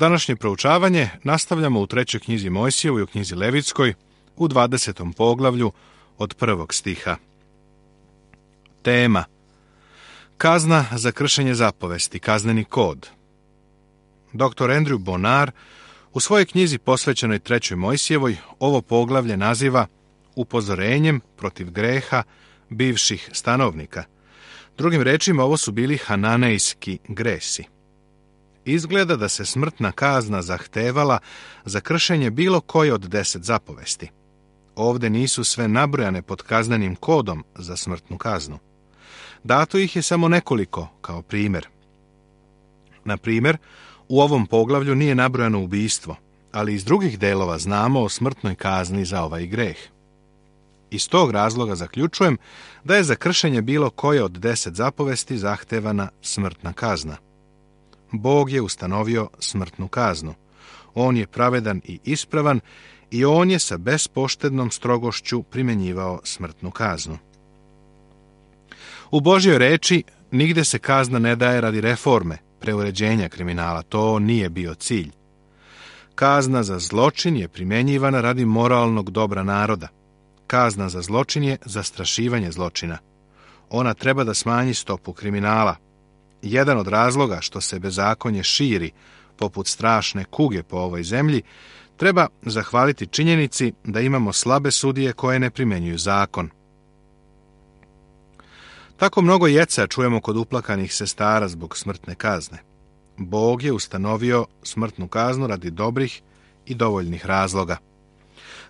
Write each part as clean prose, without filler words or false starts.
Današnje proučavanje nastavljamo u 3. knjizi Mojsijevoj i u knjizi Levitskoj u 20. poglavlju od 1. stiha. Tema: kazna za kršenje zapovesti, kazneni kod. Dr. Andrew Bonar u svojoj knjizi posvećenoj 3. Mojsijevoj ovo poglavlje naziva upozorenjem protiv greha bivših stanovnika. Drugim rečima, ovo su bili hananejski gresi. Izgleda da se smrtna kazna zahtevala za kršenje bilo koje od 10 zapovesti. Ovde nisu sve nabrojane pod kaznenim kodom za smrtnu kaznu. Dato ih je samo nekoliko kao primjer. Na primjer, u ovom poglavlju nije nabrojano ubistvo, ali iz drugih delova znamo o smrtnoj kazni za ovaj greh. Iz tog razloga zaključujem da je za kršenje bilo koje od 10 zapovesti zahtevana smrtna kazna. Bog je ustanovio smrtnu kaznu. On je pravedan i ispravan i on je sa bespoštednom strogošću primjenjivao smrtnu kaznu. U Božjoj reči nigde se kazna ne daje radi reforme, preuređenja kriminala. To nije bio cilj. Kazna za zločin je primjenjivana radi moralnog dobra naroda. Kazna za zločin je zastrašivanje zločina. Ona treba da smanji stopu kriminala. Jedan od razloga što se bezakonje širi, poput strašne kuge po ovoj zemlji, treba zahvaliti činjenici da imamo slabe sudije koje ne primjenjuju zakon. Tako mnogo jeca čujemo kod uplakanih sestara zbog smrtne kazne. Bog je ustanovio smrtnu kaznu radi dobrih i dovoljnih razloga.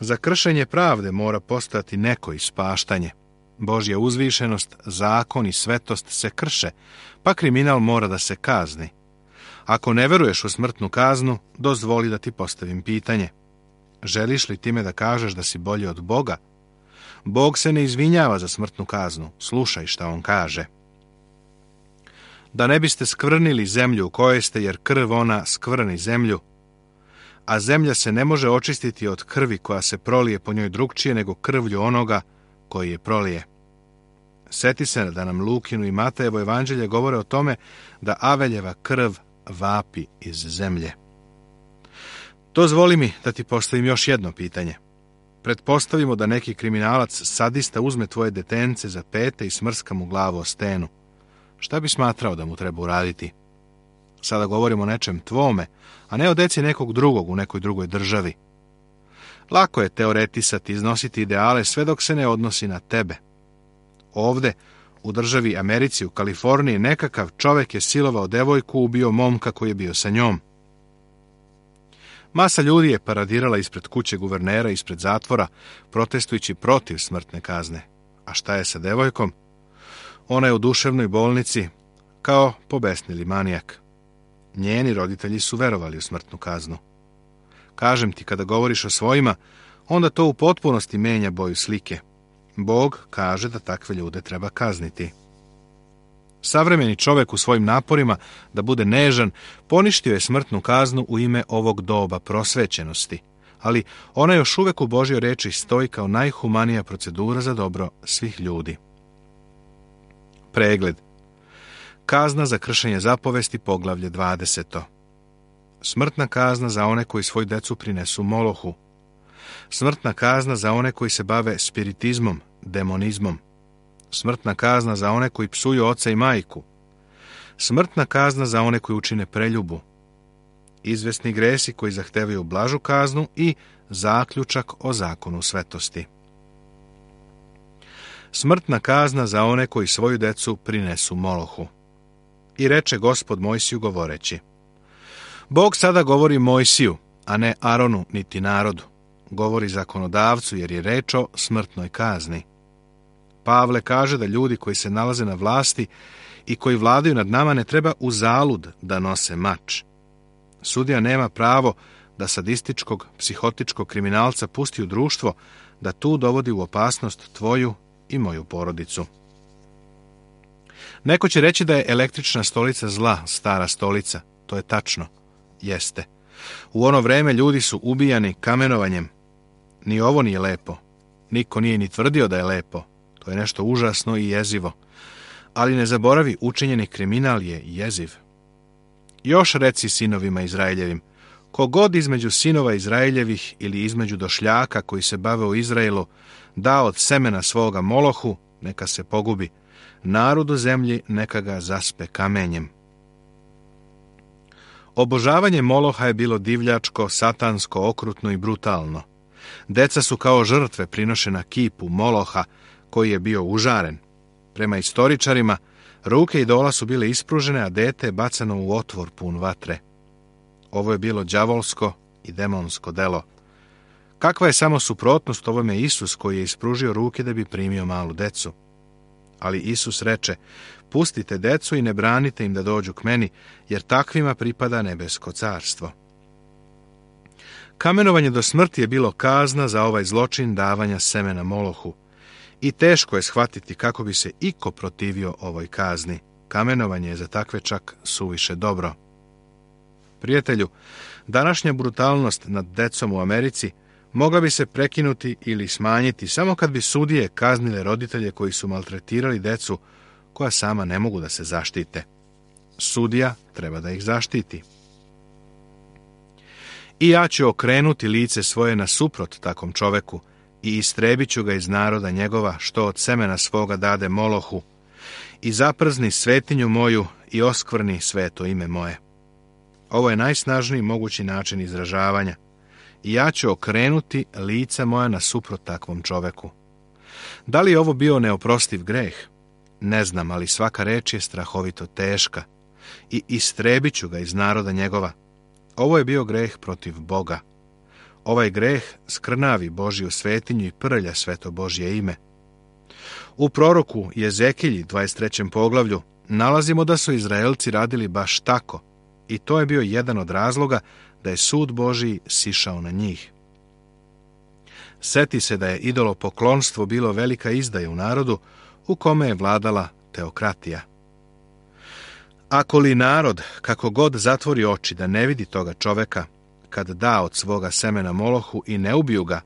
Za kršenje pravde mora postojati neko ispaštanje. Božja uzvišenost, zakon i svetost se krše, pa kriminal mora da se kazni. Ako ne veruješ u smrtnu kaznu, dozvoli da ti postavim pitanje. Želiš li time da kažeš da si bolji od Boga? Bog se ne izvinjava za smrtnu kaznu. Slušaj šta on kaže. Da ne biste skvrnili zemlju u kojoj ste, jer krv ona skvrni zemlju, a zemlja se ne može očistiti od krvi koja se prolije po njoj drugčije nego krvlju onoga koji je prolije. Seti se da nam Lukinu i Matejevo evanđelje govore o tome da Aveljeva krv vapi iz zemlje. Dozvoli mi da ti postavim još jedno pitanje. Pretpostavimo da neki kriminalac sadista uzme tvoje detence za pete i smrska mu glavu o stenu. Šta bi smatrao da mu treba uraditi? Sada govorimo o nečem tvome, a ne o deci nekog drugog u nekoj drugoj državi. Lako je teoretisati, iznositi ideale sve dok se ne odnosi na tebe. Ovde, u državi Americi, u Kaliforniji, nekakav čovek je silovao devojku, ubio momka koji je bio sa njom. Masa ljudi je paradirala ispred kuće guvernera, ispred zatvora, protestujući protiv smrtne kazne. A šta je sa devojkom? Ona je u duševnoj bolnici kao pobesnili manijak. Njeni roditelji su verovali u smrtnu kaznu. Kažem ti, kada govoriš o svojima, onda to u potpunosti menja boju slike. Bog kaže da takve ljude treba kazniti. Savremeni čovek u svojim naporima da bude nežan poništio je smrtnu kaznu u ime ovog doba prosvećenosti, ali ona još uvek u Božjoj reči stoji kao najhumanija procedura za dobro svih ljudi. Pregled. Kazna za kršenje zapovesti, poglavlje 20. Smrtna kazna za one koji svoju decu prinesu Molohu. Smrtna kazna za one koji se bave spiritizmom, demonizmom. Smrtna kazna za one koji psuju oca i majku. Smrtna kazna za one koji učine preljubu. Izvesni gresi koji zahtevaju blažu kaznu i zaključak o zakonu svetosti. Smrtna kazna za one koji svoju decu prinesu Molohu. I reče Gospod Mojsiju govoreći. Bog sada govori Mojsiju, a ne Aronu niti narodu. Govori zakonodavcu jer je reč o smrtnoj kazni. Pavle kaže da ljudi koji se nalaze na vlasti i koji vladaju nad nama ne treba uzalud da nose mač. Sudija nema pravo da sadističkog, psihotičkog kriminalca pusti u društvo, da tu dovodi u opasnost tvoju i moju porodicu. Neko će reći da je električna stolica zla, stara stolica. To je tačno. Jeste. U ono vreme ljudi su ubijani kamenovanjem. Ni ovo nije lepo. Niko nije ni tvrdio da je lepo. To je nešto užasno i jezivo. Ali ne zaboravi, učinjeni kriminal je jeziv. Još reci sinovima Izraeljevim, Kogod između sinova Izraeljevih ili između došljaka koji se bave u Izraelu da od semena svoga Molohu, neka se pogubi. Narod u zemlji neka ga zaspe kamenjem. Obožavanje Moloha je bilo divljačko, satansko, okrutno i brutalno. Deca su kao žrtve prinošena kipu Moloha, koji je bio užaren. Prema istoričarima, ruke idola su bile ispružene, a dete je bacano u otvor pun vatre. Ovo je bilo đavolsko i demonsko delo. Kakva je samo suprotnost ovome Isus koji je ispružio ruke da bi primio malu decu? Ali Isus reče, pustite decu i ne branite im da dođu k meni, jer takvima pripada nebesko carstvo. Kamenovanje do smrti je bilo kazna za ovaj zločin davanja semena Molohu. I teško je shvatiti kako bi se iko protivio ovoj kazni. Kamenovanje je za takve čak suviše dobro. Prijatelju, današnja brutalnost nad decom u Americi mogla bi se prekinuti ili smanjiti samo kad bi sudije kaznile roditelje koji su maltretirali decu koja sama ne mogu da se zaštite. Sudija treba da ih zaštiti. I ja ću okrenuti lice svoje nasuprot takvom čoveku i istrebit ću ga iz naroda njegova što od semena svoga dade Molohu i zaprzni svetinju moju i oskvrni sveto ime moje. Ovo je najsnažniji mogući način izražavanja. I ja ću okrenuti lica moja nasuprot takvom čoveku. Da li je ovo bio neoprostiv greh? Ne znam, ali svaka reč je strahovito teška. I istrebit ću ga iz naroda njegova. Ovo je bio greh protiv Boga. Ovaj greh skrnavi Božju svetinju i prlja sveto Božje ime. U proroku Jezekilji 23. poglavlju nalazimo da su Izraelci radili baš tako. I to je bio jedan od razloga da je sud Božji sišao na njih. Seti se da je idolopoklonstvo bilo velika izdaja u narodu u kome je vladala teokratija. Ako li narod, kako god zatvori oči da ne vidi toga čoveka, kad da od svoga semena Molohu i ne ubiju ga,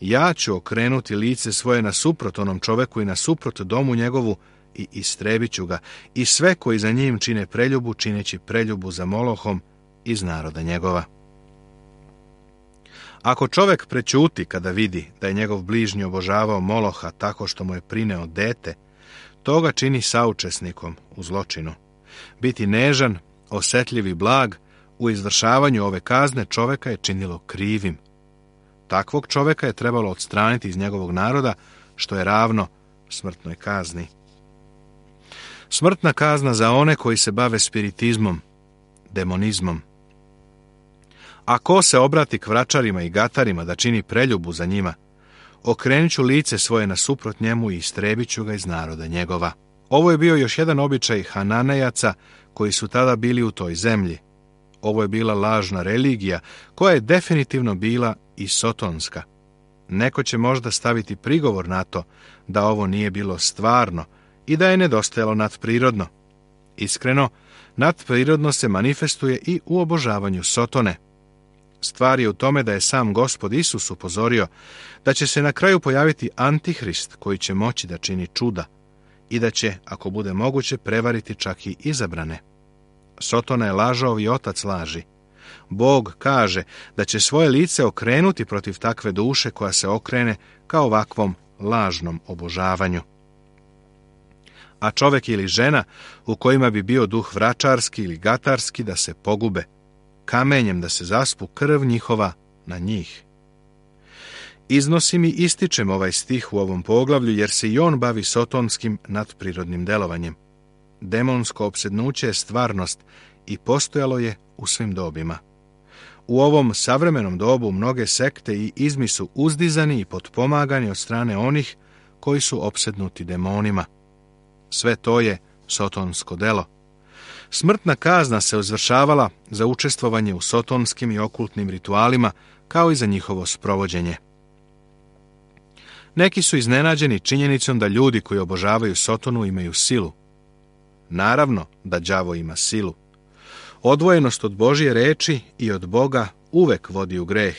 ja ću okrenuti lice svoje nasuprot onom čoveku i nasuprot domu njegovu i istrebit ću ga i sve koji za njim čine preljubu, čineći preljubu za Molohom iz naroda njegova. Ako čovek prećuti kada vidi da je njegov bližnji obožavao Moloha tako što mu je prineo dete, to ga čini saučesnikom u zločinu. Biti nežan, osetljiv i blag u izvršavanju ove kazne čoveka je činilo krivim. Takvog čoveka je trebalo odstraniti iz njegovog naroda, što je ravno smrtnoj kazni. Smrtna kazna za one koji se bave spiritizmom, demonizmom. A ko se obrati k vračarima i gatarima da čini preljubu za njima, okrenut ću lice svoje nasuprot njemu i istrebit ću ga iz naroda njegova. Ovo je bio još jedan običaj Hananejaca koji su tada bili u toj zemlji. Ovo je bila lažna religija koja je definitivno bila i sotonska. Neko će možda staviti prigovor na to da ovo nije bilo stvarno i da je nedostajalo nadprirodno. Iskreno, nadprirodno se manifestuje i u obožavanju Sotone. Stvar je u tome da je sam Gospod Isus upozorio da će se na kraju pojaviti Antihrist koji će moći da čini čuda i da će, ako bude moguće, prevariti čak i izabrane. Sotona je lažov i otac laži. Bog kaže da će svoje lice okrenuti protiv takve duše koja se okrene ka ovakvom lažnom obožavanju. A čovek ili žena u kojima bi bio duh vračarski ili gatarski da se pogube, kamenjem da se zaspu krv njihova na njih. Iznosim i ističem ovaj stih u ovom poglavlju jer se i on bavi sotonskim nadprirodnim delovanjem. Demonsko opsednuće je stvarnost i postojalo je u svim dobima. U ovom savremenom dobu mnoge sekte i izmi su uzdizani i potpomagani od strane onih koji su opsednuti demonima. Sve to je sotonsko delo. Smrtna kazna se izvršavala za učestvovanje u sotonskim i okultnim ritualima, kao i za njihovo sprovođenje. Neki su iznenađeni činjenicom da ljudi koji obožavaju Sotonu imaju silu. Naravno da đavo ima silu. Odvojenost od Božje reči i od Boga uvek vodi u greh,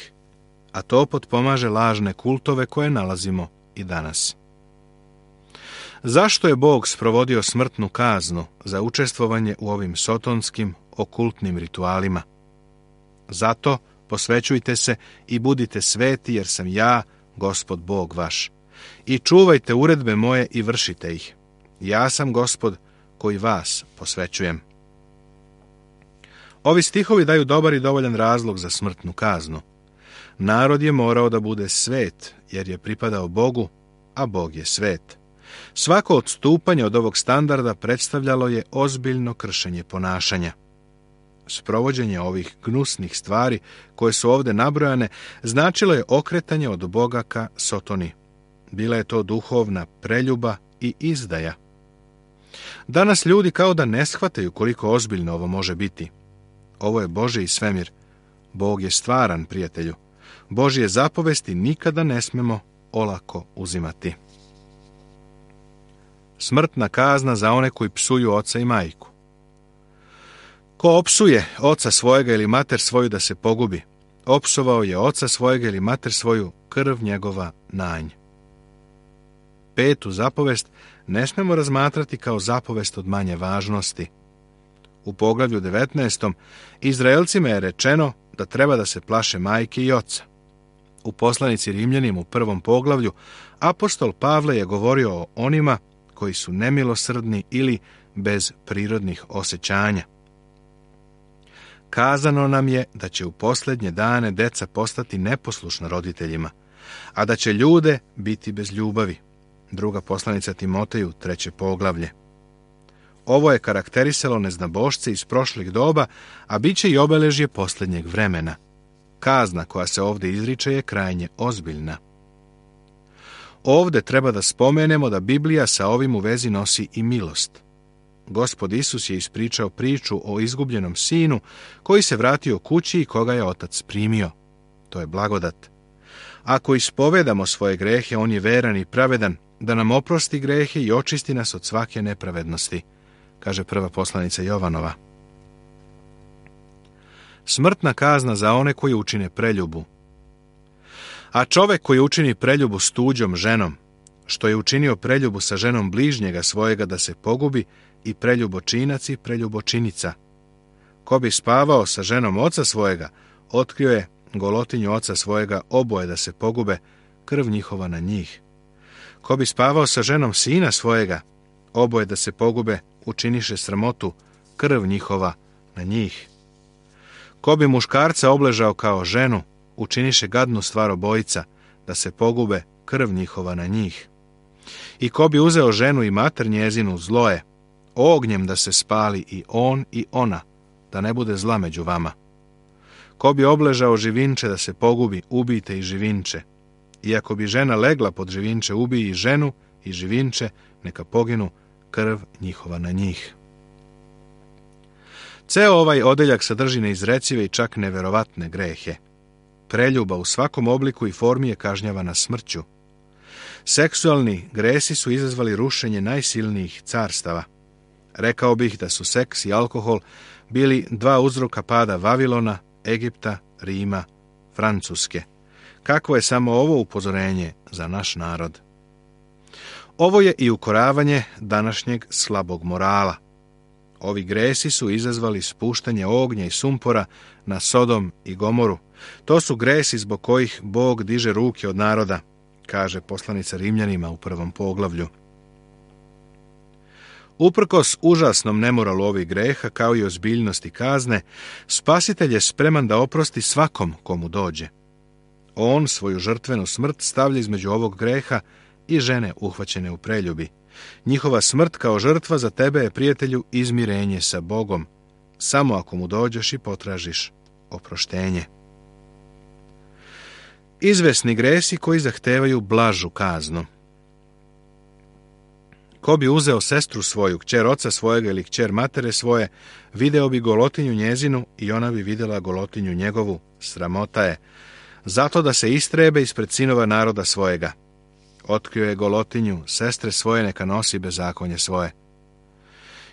a to potpomaže lažne kultove koje nalazimo i danas. Zašto je Bog sprovodio smrtnu kaznu za učestvovanje u ovim sotonskim okultnim ritualima? Zato posvećujte se i budite sveti, jer sam ja, Gospod Bog vaš. I čuvajte uredbe moje i vršite ih. Ja sam Gospod koji vas posvećujem. Ovi stihovi daju dobar i dovoljan razlog za smrtnu kaznu. Narod je morao da bude svet, jer je pripadao Bogu, a Bog je svet. Svako odstupanje od ovog standarda predstavljalo je ozbiljno kršenje ponašanja. Sprovođenje ovih gnusnih stvari, koje su ovdje nabrojane, značilo je okretanje od Boga ka Sotoni. Bila je to duhovna preljuba i izdaja. Danas ljudi kao da ne shvataju koliko ozbiljno ovo može biti. Ovo je Božji svemir. Bog je stvaran, prijatelju. Božje zapovesti nikada ne smemo olako uzimati. Smrtna kazna za one koji psuju oca i majku. Ko opsuje oca svojega ili mater svoju da se pogubi, opsovao je oca svojega ili mater svoju, krv njegova na nj. 5. zapovest ne smemo razmatrati kao zapovest od manje važnosti. U poglavlju 19. Izraelcima je rečeno da treba da se plaše majke i oca. U poslanici Rimljanima u 1. poglavlju apostol Pavle je govorio o onima koji su nemilosrdni ili bez prirodnih osjećanja. Kazano nam je da će u posljednje dane deca postati neposlušna roditeljima, a da će ljude biti bez ljubavi. 2. poslanica Timoteju, 3. poglavlje. Ovo je karakterisalo neznabošce iz prošlih doba, a bit će i obeležje posljednjeg vremena. Kazna koja se ovdje izriče je krajnje ozbiljna. Ovdje treba da spomenemo da Biblija sa ovim u vezi nosi i milost. Gospod Isus je ispričao priču o izgubljenom sinu koji se vratio kući i koga je otac primio. To je blagodat. Ako ispovedamo svoje grehe, on je veran i pravedan, da nam oprosti grehe i očisti nas od svake nepravednosti, kaže 1. poslanica Jovanova. Smrtna kazna za one koji učine preljubu. A čovek koji učini preljubu s tuđom ženom, što je učinio preljubu sa ženom bližnjega svojega da se pogubi, i preljubočinac i preljubočinica. Ko bi spavao sa ženom oca svojega, otkrio je golotinju oca svojega, oboje da se pogube, krv njihova na njih. Ko bi spavao sa ženom sina svojega, oboje da se pogube, učiniše sramotu, krv njihova na njih. Ko bi muškarca obležao kao ženu, učiniše gadnu stvar obojica, da se pogube, krv njihova na njih. I ko bi uzeo ženu i mater njezinu, zlo je, ognjem da se spali i on i ona, da ne bude zla među vama. Ko bi obležao živinče da se pogubi, ubijte i živinče. I ako bi žena legla pod živinče, ubij i ženu i živinče, neka poginu, krv njihova na njih. Ceo ovaj odeljak sadrži neizrecive i čak neverovatne grehe. Preljuba u svakom obliku i formi je kažnjavana smrću. Seksualni gresi su izazvali rušenje najsilnijih carstava. Rekao bih da su seks i alkohol bili dva uzroka pada Vavilona, Egipta, Rima, Francuske. Kakvo je samo ovo upozorenje za naš narod? Ovo je i ukoravanje današnjeg slabog morala. Ovi gresi su izazvali spuštanje ognja i sumpora na Sodom i Gomoru. To su gresi zbog kojih Bog diže ruke od naroda, kaže poslanica Rimljanima u 1. poglavlju. Uprkos užasnom nemoralu ovih greha, kao i ozbiljnosti kazne, Spasitelj je spreman da oprosti svakom komu dođe. On svoju žrtvenu smrt stavlja između ovog greha i žene uhvaćene u preljubi. Njihova smrt kao žrtva za tebe je, prijatelju, izmirenje sa Bogom, samo ako mu dođeš i potražiš oproštenje. Izvesni gresi koji zahtevaju blažu kaznu. Ko bi uzeo sestru svoju, kćer oca svojega ili kćer matere svoje, video bi golotinju njezinu i ona bi vidjela golotinju njegovu, sramota je, zato da se istrebe ispred sinova naroda svojega. Otkrio je golotinju sestre svoje, neka nosi bezakonje svoje.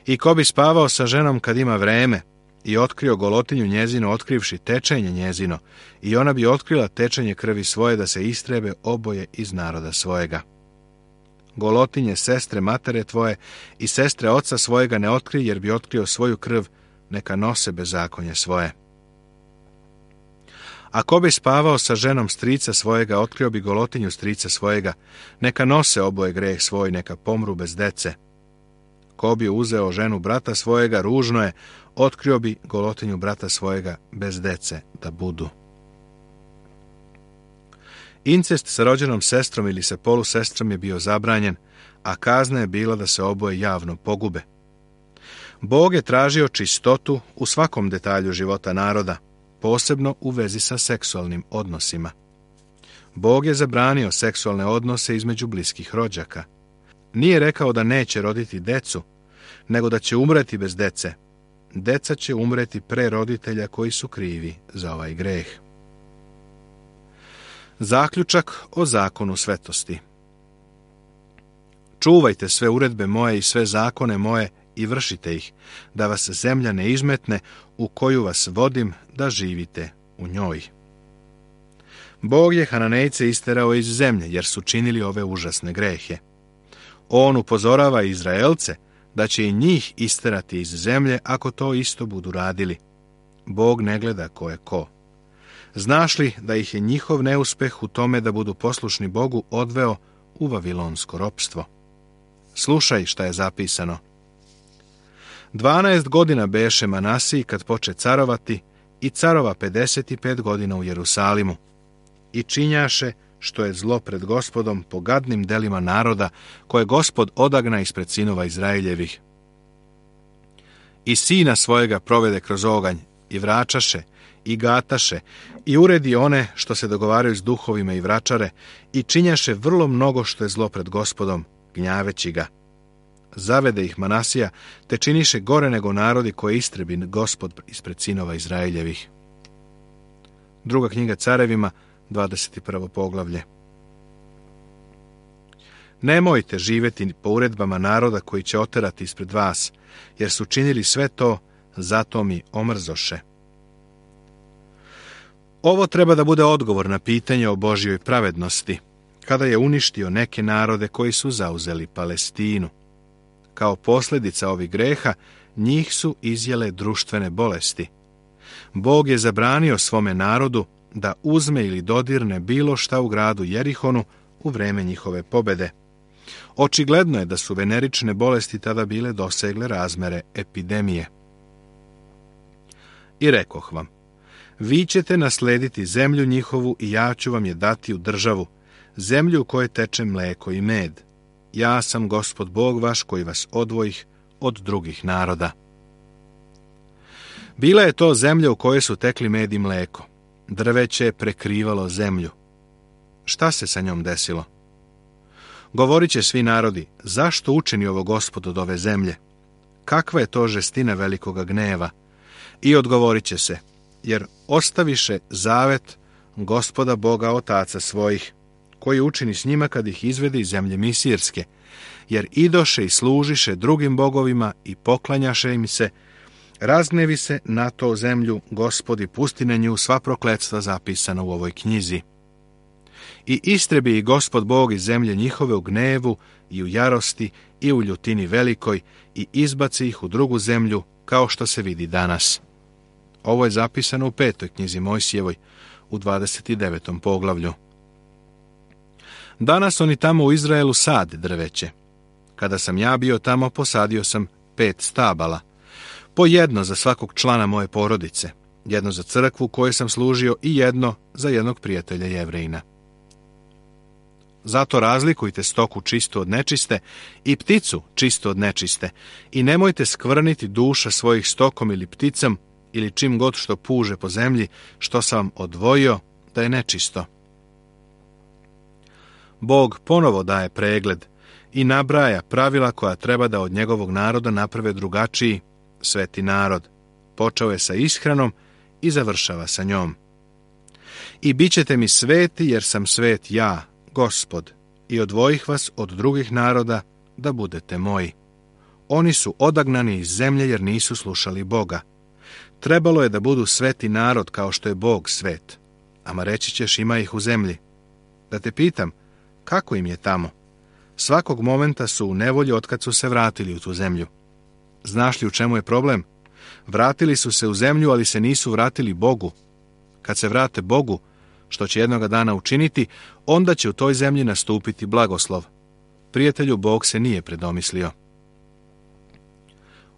I ko bi spavao sa ženom kad ima vreme i otkrio golotinju njezinu, otkrivši tečenje njezino, i ona bi otkrila tečenje krvi svoje, da se istrebe oboje iz naroda svojega. Golotinje sestre matere tvoje i sestre oca svojega ne otkri, jer bi otkrio svoju krv, neka nose bezakonje svoje. Ako bi spavao sa ženom strica svojega, otkrio bi golotinju strica svojega, neka nose oboje greh svoj, neka pomru bez dece. Ko bi uzeo ženu brata svojega, ružno je, otkrio bi golotinju brata svojega bez dece da budu. Incest sa rođenom sestrom ili sa polusestrom je bio zabranjen, a kazna je bila da se oboje javno pogube. Bog je tražio čistotu u svakom detalju života naroda, posebno u vezi sa seksualnim odnosima. Bog je zabranio seksualne odnose između bliskih rođaka. Nije rekao da neće roditi decu, nego da će umreti bez dece. Deca će umreti pre roditelja koji su krivi za ovaj greh. Zaključak o zakonu svetosti. Čuvajte sve uredbe moje i sve zakone moje i vršite ih, da vas zemlja ne izmetne u koju vas vodim da živite u njoj. Bog je Hananejce isterao iz zemlje, jer su činili ove užasne grehe. On upozorava Izraelce da će i njih isterati iz zemlje ako to isto budu radili. Bog ne gleda ko je ko. Znaš li da ih je njihov neuspeh u tome da budu poslušni Bogu odveo u vavilonsko ropstvo? Slušaj šta je zapisano. 12 godina beše Manasiji kad poče carovati i carova 55 godina u Jerusalimu. I činjaše što je zlo pred Gospodom po gadnim delima naroda koje Gospod odagna ispred sinova Izraeljevih. I sina svojega provede kroz oganj i vračaše i gataše i uredi one što se dogovaraju s duhovima i vračare i činjaše vrlo mnogo što je zlo pred Gospodom, gnjaveći ga. Zavede ih Manasija, te činiše gore nego narodi koje istrebi Gospod ispred sinova Izraeljevih. Druga knjiga Carevima, 21. poglavlje. Nemojte živjeti po uredbama naroda koji će oterati ispred vas, jer su činili sve to, zato mi omrzoše. Ovo treba da bude odgovor na pitanje o Božjoj pravednosti, kada je uništio neke narode koji su zauzeli Palestinu. Kao posljedica ovih greha, njih su izjele društvene bolesti. Bog je zabranio svome narodu da uzme ili dodirne bilo šta u gradu Jerihonu u vreme njihove pobede. Očigledno je da su venerične bolesti tada bile dosegle razmere epidemije. I rekoh vam, vi ćete naslediti zemlju njihovu i ja ću vam je dati u državu, zemlju u kojoj teče mleko i med. Ja sam Gospod Bog vaš koji vas odvojih od drugih naroda. Bila je to zemlja u kojoj su tekli med i mleko. Drveće je prekrivalo zemlju. Šta se sa njom desilo? Govorit će svi narodi, zašto učini ovo Gospod od ove zemlje? Kakva je to žestina velikoga gneva? I odgovorit će se, jer ostaviše zavet Gospoda Boga otaca svojih, koji učini s njima kad ih izvede iz zemlje Misirske, jer idoše i služiše drugim bogovima i poklanjaše im se, razgnevi se na to zemlju Gospod i pusti na nju sva prokletstva zapisana u ovoj knjizi. I istrebi ih Gospod Bog iz zemlje njihove u gnevu i u jarosti i u ljutini velikoj i izbaci ih u drugu zemlju kao što se vidi danas. Ovo je zapisano u 5. knjizi Mojsijevoj u 29. poglavlju. Danas oni tamo u Izraelu sade drveće. Kada sam ja bio tamo, posadio sam 5 stabala, po jedno za svakog člana moje porodice, jedno za crkvu koju sam služio i jedno za jednog prijatelja Jevrejina. Zato razlikujte stoku čistu od nečiste i pticu čistu od nečiste i nemojte skvrniti duša svojih stokom ili pticom ili čim god što puže po zemlji, što sam vam odvojio da je nečisto. Bog ponovo daje pregled i nabraja pravila koja treba da od njegovog naroda naprave drugačiji, sveti narod. Počeo je sa ishranom i završava sa njom. I bit ćete mi sveti, jer sam svet ja, Gospod, i odvojih vas od drugih naroda da budete moji. Oni su odagnani iz zemlje jer nisu slušali Boga. Trebalo je da budu sveti narod kao što je Bog svet. Ama reći ćeš, ima ih u zemlji. Da te pitam, kako im je tamo? Svakog momenta su u nevolji otkad su se vratili u tu zemlju. Znaš li u čemu je problem? Vratili su se u zemlju, ali se nisu vratili Bogu. Kad se vrate Bogu, što će jednoga dana učiniti, onda će u toj zemlji nastupiti blagoslov. Prijatelju, Bog se nije predomislio.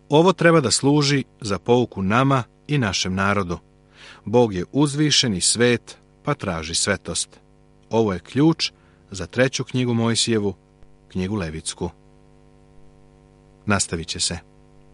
Ovo treba da služi za pouku nama i našem narodu. Bog je uzvišen i svet, pa traži svetost. Ovo je ključ za 3. knjigu Mojsijevu, knjigu Levitsku. Nastavit će se.